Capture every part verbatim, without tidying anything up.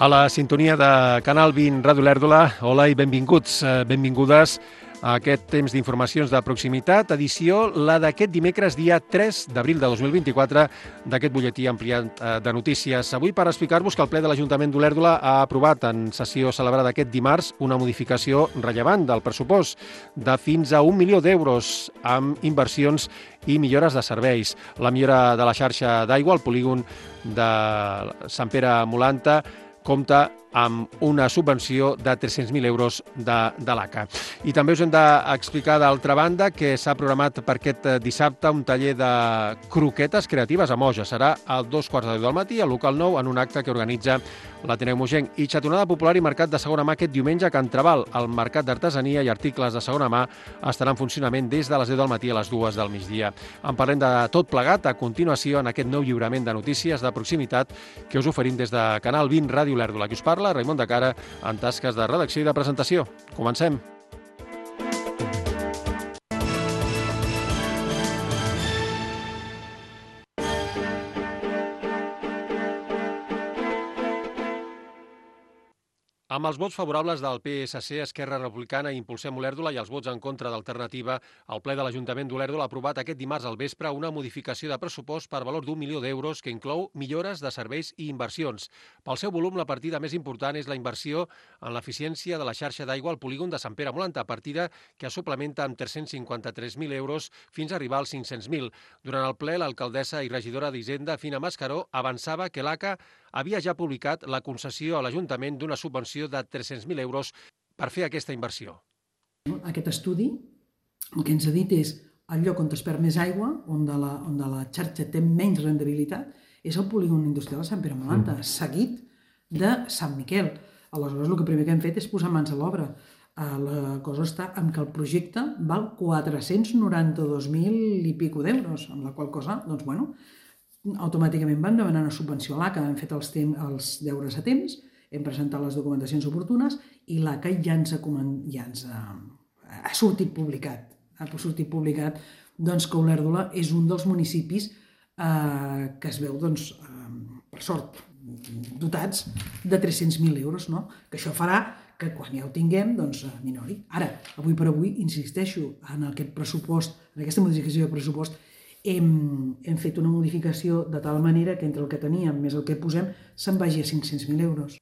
A la sintonia de Canal vint Ràdio Lèrdola, hola i benvinguts, benvingudes a aquest temps d'informacions de proximitat, edició la d'aquest dimecres, dia tres d'abril de dos mil vint-i-quatre, d'aquest butlletí ampliat de notícies. Avui per explicar-vos que el ple de l'Ajuntament d'Olèrdola ha aprovat en sessió celebrada aquest dimarts una modificació rellevant del pressupost de fins a un milió d'euros amb inversions i millores de serveis. La millora de la xarxa d'aigua al polígon de Sant Pere Molanta compta amb una subvenció de tres-cents mil euros de, de l'A C A. I també us hem d'explicar, d'altra banda, que s'ha programat per aquest dissabte un taller de croquetes creatives a Moja. Serà a dos quarts de deu del matí, al local nou, en un acte que organitza l'Ateneu Mogenc. I xatonada popular i mercat de segona mà aquest diumenge a Can Trabal. El mercat d'artesania i articles de segona mà estarà en funcionament des de les deu del matí a les dues del migdia. En parlem de tot plegat a continuació en aquest nou lliurament de notícies de proximitat que us oferim des de Canal vint Ràdio Lèrdola. Qui us parla? Raimon de Cara, en tasques de redacció i de presentació. Comencem. Amb els vots favorables del P S C, Esquerra Republicana i Impulsem Olèrdola i els vots en contra d'Alternativa, el ple de l'Ajuntament d'Olèrdola ha aprovat aquest dimarts al vespre una modificació de pressupost per valor d'un milió d'euros que inclou millores de serveis i inversions. Pel seu volum, la partida més important és la inversió en l'eficiència de la xarxa d'aigua al polígon de Sant Pere Molanta, partida que es suplementa amb tres-cents cinquanta-tres mil euros fins a arribar als cinc-cents mil. Durant el ple, l'alcaldessa i regidora d'Hisenda, Fina Mascaró, avançava que l'A C A havia ja publicat la concessió a l'Ajuntament d'una subvenció de tres-cents mil euros per fer aquesta inversió. Aquest estudi el que ens ha dit és el lloc on es perd més aigua, on de la, on de la xarxa té menys rendibilitat, és el polígon industrial de Sant Pere Molanta, mm. seguit de Sant Miquel. Aleshores, el que primer que hem fet és posar mans a l'obra. La cosa està en que el projecte val quatre-cents noranta-dos mil i pico d'euros, amb la qual cosa, doncs, bueno, automàticament vam demanar una subvenció a l'A C A, hem fet els, temps, els deures a temps, hem presentat les documentacions oportunes i l'A C A ja ens ha, ja ens ha, ha sortit publicat. Ha sortit publicat doncs, que Olèrdola és un dels municipis eh, que es veu, doncs, eh, per sort, dotats de tres-cents mil euros, no? Que això farà que quan ja ho tinguem, doncs, minori. Ara, avui per avui, insisteixo, en aquest pressupost, en aquesta modificació de pressupost, Hem, hem fet una modificació de tal manera que entre el que teníem més el que posem se'n vagi a cinc-cents mil euros.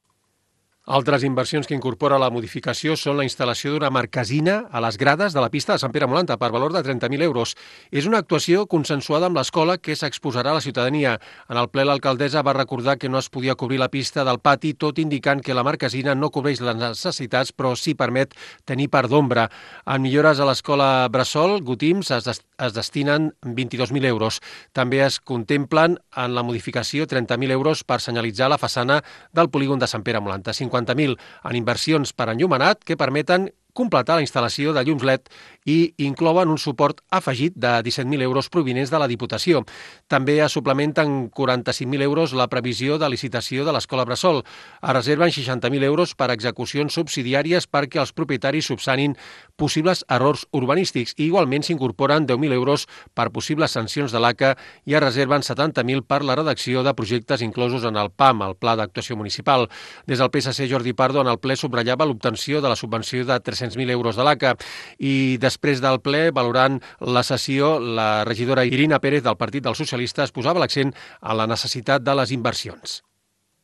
Altres inversions que incorpora la modificació són la instal·lació d'una marquesina a les grades de la pista de Sant Pere Molanta per valor de trenta mil euros. És una actuació consensuada amb l'escola que s'exposarà a la ciutadania. En el ple, l'alcaldessa va recordar que no es podia cobrir la pista del pati, tot indicant que la marquesina no cobreix les necessitats, però sí permet tenir part d'ombra. En millores a l'escola Bressol, Gotims, es, des es destinen vint-i-dos mil euros. També es contemplen en la modificació trenta mil euros per senyalitzar la façana del polígon de Sant Pere Molanta, cinquanta mil en inversions per enllumenat que permeten completar la instal·lació de llums L E D i inclouen un suport afegit de disset mil euros provinents de la Diputació. També es suplementen quaranta-cinc mil euros la previsió de licitació de l'Escola Bressol. Es reserven seixanta mil euros per execucions subsidiàries perquè els propietaris subsanin possibles errors urbanístics i igualment s'incorporen deu mil euros per possibles sancions de l'A C A i es reserven setanta mil per la redacció de projectes inclosos en el P A M, el Pla d'Actuació Municipal. Des del P S C, Jordi Pardo, en el ple subratllava l'obtenció de la subvenció de tres-cents mil euros de l'A C A i després del ple, valorant la sessió, la regidora Irina Pérez del Partit dels Socialistes posava l'accent en la necessitat de les inversions.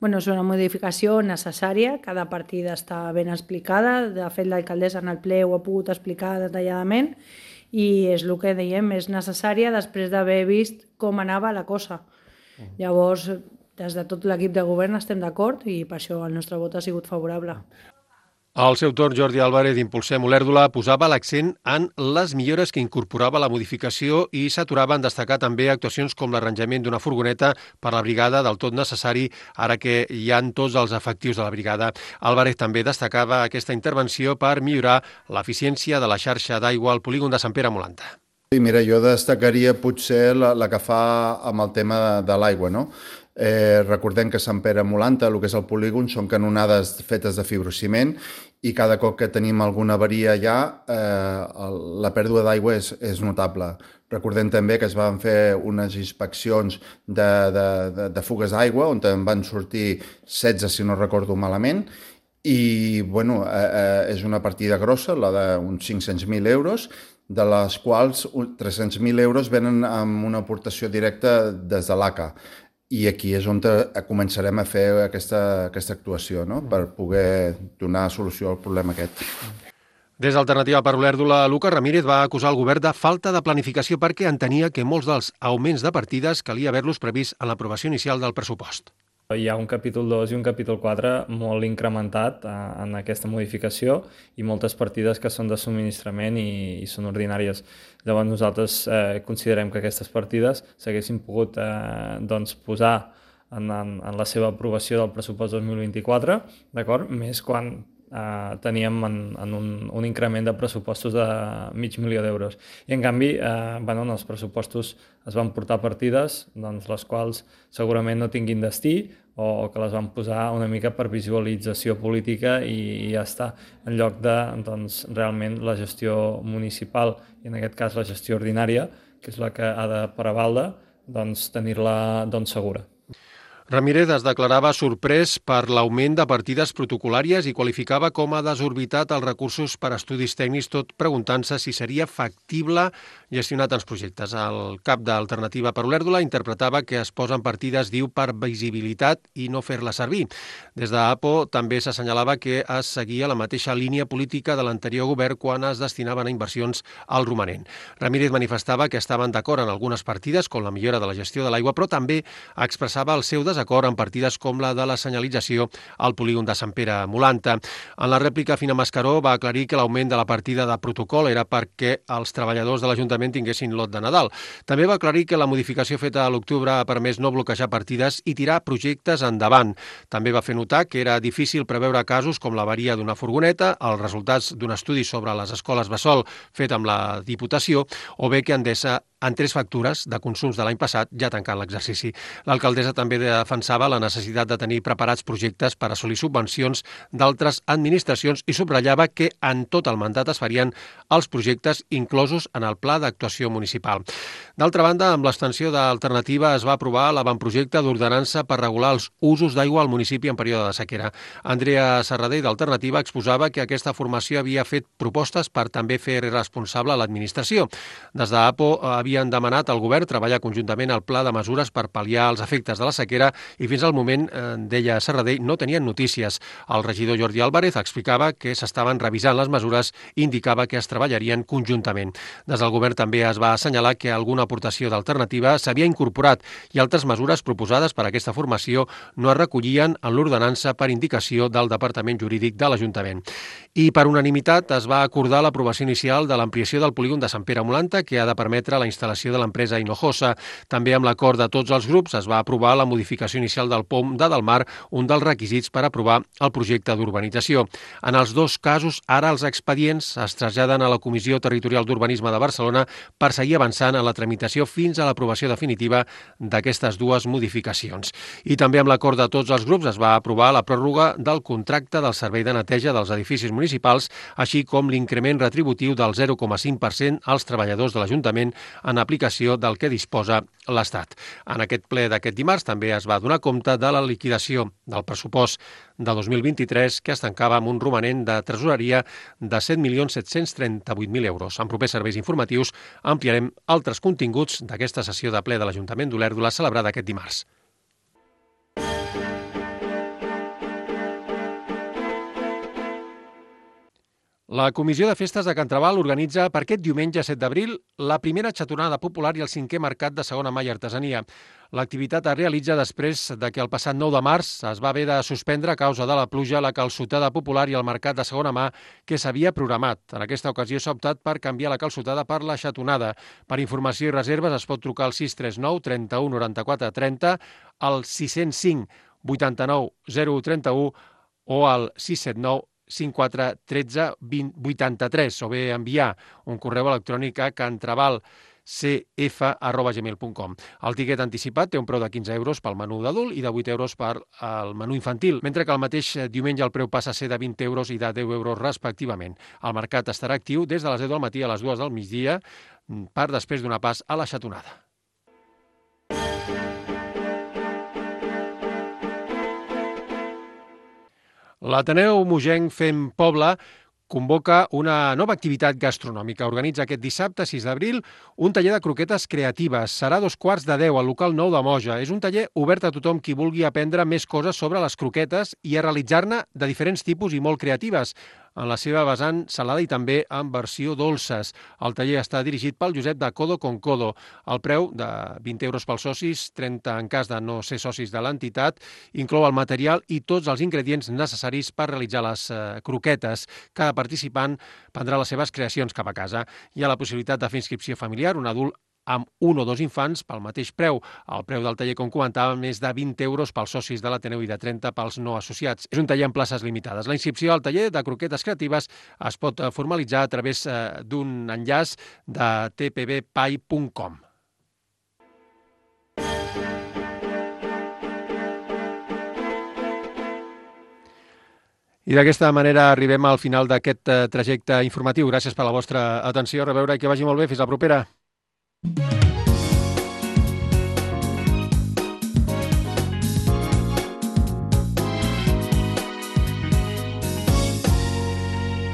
Bueno, és una modificació necessària, cada partida està ben explicada, de fet l'alcaldessa en el ple ho ha pogut explicar detalladament i és el que dèiem, és necessària després d'haver vist com anava la cosa. Llavors, des de tot l'equip de govern estem d'acord i per això el nostre vot ha sigut favorable. Al seu torn, Jordi Álvarez d'Impulsem Olèrdola posava l'accent en les millores que incorporava la modificació i s'aturava en destacar també actuacions com l'arranjament d'una furgoneta per la brigada del tot necessari ara que hi han tots els efectius de la brigada. Álvarez també destacava aquesta intervenció per millorar l'eficiència de la xarxa d'aigua al polígon de Sant Pere Molanta. Sí, mira, jo destacaria potser la, la que fa amb el tema de, de l'aigua, no? Eh, recordem que Sant Pere Molanta, el que és el polígon, són canonades fetes de fibrociment i cada cop que tenim alguna avaria allà, eh, la pèrdua d'aigua és, és notable. Recordem també que es van fer unes inspeccions de, de, de, de fugues d'aigua, on en van sortir setze, si no recordo malament, i bueno, eh, eh, és una partida grossa, la d'uns cinc-cents mil euros, de les quals tres-cents mil euros venen amb una aportació directa des de l'A C A. I aquí és on començarem a fer aquesta, aquesta actuació, no? Per poder donar solució al problema aquest. Des d'Alternativa per Olèrdola, Lucas Ramírez va acusar el govern de falta de planificació perquè entenia que molts dels augments de partides calia haver-los previst en l'aprovació inicial del pressupost. Hi ha un capítol dos i un capítol quatre molt incrementat en aquesta modificació i moltes partides que són de subministrament i, i són ordinàries. Llavors nosaltres eh, considerem que aquestes partides s'haguessin pogut eh, doncs, posar en, en, en la seva aprovació del pressupost dos mil vint-i-quatre, d'acord? Més quan eh, teníem en, en un, un increment de pressupostos de mig milió d'euros. I en canvi, eh, bueno, en els pressupostos es van portar partides, doncs, les quals segurament no tinguin destí o que les van posar una mica per visualització política i, i ja està, en lloc de doncs, realment la gestió municipal i en aquest cas la gestió ordinària, que és la que ha de prevaldre, doncs, tenir-la doncs, segura. Ramírez es declarava sorprès per l'augment de partides protocolàries i qualificava com a desorbitat els recursos per a estudis tècnics, tot preguntant-se si seria factible gestionar tants projectes. El cap d'Alternativa per Olèrdola interpretava que es posen partides, diu, per visibilitat i no fer-la servir. Des d'APO també s'assenyalava que es seguia la mateixa línia política de l'anterior govern quan es destinaven a inversions al romanent. Ramírez manifestava que estaven d'acord en algunes partides, com la millora de la gestió de l'aigua, però també expressava el seu desacord en partides com la de la senyalització al polígon de Sant Pere Molanta. En la rèplica, Fina Mascaró va aclarir que l'augment de la partida de protocol era perquè els treballadors de l'Ajuntament tinguessin lot de Nadal. També va aclarir que la modificació feta a l'octubre ha permès no bloquejar partides i tirar projectes endavant. També va fer notar que era difícil preveure casos com l'avaria d'una furgoneta, els resultats d'un estudi sobre les escoles Bressol fet amb la Diputació, o bé que Endesa en tres factures de consums de l'any passat ja tancant l'exercici. L'alcaldessa també defensava la necessitat de tenir preparats projectes per assolir subvencions d'altres administracions i subratllava que en tot el mandat es farien els projectes inclosos en el pla d'actuació municipal. D'altra banda, amb l'extensió d'Alternativa es va aprovar l'avantprojecte d'ordenança per regular els usos d'aigua al municipi en període de sequera. Andrea Serradell, d'Alternativa, exposava que aquesta formació havia fet propostes per també fer responsable a l'administració. Des d'APO havien demanat al govern treballar conjuntament al pla de mesures per pal·liar els efectes de la sequera i fins al moment, eh, deia Serradell, no tenien notícies. El regidor Jordi Álvarez explicava que s'estaven revisant les mesures i indicava que es treballarien conjuntament. Des del govern també es va assenyalar que alguna aportació d'Alternativa s'havia incorporat i altres mesures proposades per a aquesta formació no es recollien en l'ordenança per indicació del Departament Jurídic de l'Ajuntament. I per unanimitat es va acordar l'aprovació inicial de l'ampliació del polígon de Sant Pere Molanta, que ha de permetre la instal·lació de l'empresa Hinojosa. També amb l'acord de tots els grups es va aprovar la modificació inicial del P O M de Delmar, un dels requisits per aprovar el projecte d'urbanització. En els dos casos, ara els expedients es traslladen a la Comissió Territorial d'Urbanisme de Barcelona per seguir avançant en la tramitació fins a l'aprovació definitiva d'aquestes dues modificacions. I també amb l'acord de tots els grups es va aprovar la pròrroga del contracte del servei de neteja dels edificis municipals, així com l'increment retributiu del zero coma cinc per cent als treballadors de l'Ajuntament en aplicació del que disposa l'Estat. En aquest ple d'aquest dimarts també es va donar compte de la liquidació del pressupost de dos mil vint-i-tres, que es tancava amb un romanent de tresoreria de set milions set-cents trenta-vuit mil euros. En propers serveis informatius ampliarem altres continguts d'aquesta sessió de ple de l'Ajuntament d'Olèrdola celebrada aquest dimarts. La Comissió de Festes de Can Trabal organitza per aquest diumenge set d'abril la primera xatonada popular i el cinquè mercat de segona mà i artesania. L'activitat es realitza després de que el passat nou de març es va haver de suspendre a causa de la pluja la calçotada popular i el mercat de segona mà que s'havia programat. En aquesta ocasió s'ha optat per canviar la calçotada per la xatonada. Per informació i reserves es pot trucar al sis tres nou trenta-u noranta-quatre trenta, al sis zero cinc vuitanta-nou zero u trenta-u o al sis set nou cinquanta-quatre tretze vint vuitanta-tres o bé enviar un correu electrònic a cantrabal c f arroba gmail punt com. El tiquet anticipat té un preu de quinze euros pel menú d'adult i de vuit euros per al menú infantil, mentre que el mateix diumenge el preu passa a ser de vint euros i de deu euros respectivament. El mercat estarà actiu des de les deu del matí a les dues del migdia per després donar pas a la xatonada. L'Ateneu Mogenc Fem Poble convoca una nova activitat gastronòmica. Organitza aquest dissabte, sis d'abril, un taller de croquetes creatives. Serà a dos quarts de deu al local nou de Moja. És un taller obert a tothom qui vulgui aprendre més coses sobre les croquetes i a realitzar-ne de diferents tipus i molt creatives, en la seva vessant salada i també en versió dolces. El taller està dirigit pel Josep de Codo con Codo. El preu de vint euros pels socis, trenta en cas de no ser socis de l'entitat, inclou el material i tots els ingredients necessaris per realitzar les eh, croquetes. Cada participant prendrà les seves creacions cap a casa. Hi ha la possibilitat de fer inscripció familiar, un adult amb un o dos infants pel mateix preu. El preu del taller, com comentàvem, és de vint euros pels socis de l'Ateneu i de trenta pels no associats. És un taller amb places limitades. La inscripció al taller de croquetes creatives es pot formalitzar a través d'un enllaç de t p b p a i punt com. I d'aquesta manera arribem al final d'aquest trajecte informatiu. Gràcies per la vostra atenció. A reveure i que vagi molt bé. Fins la propera.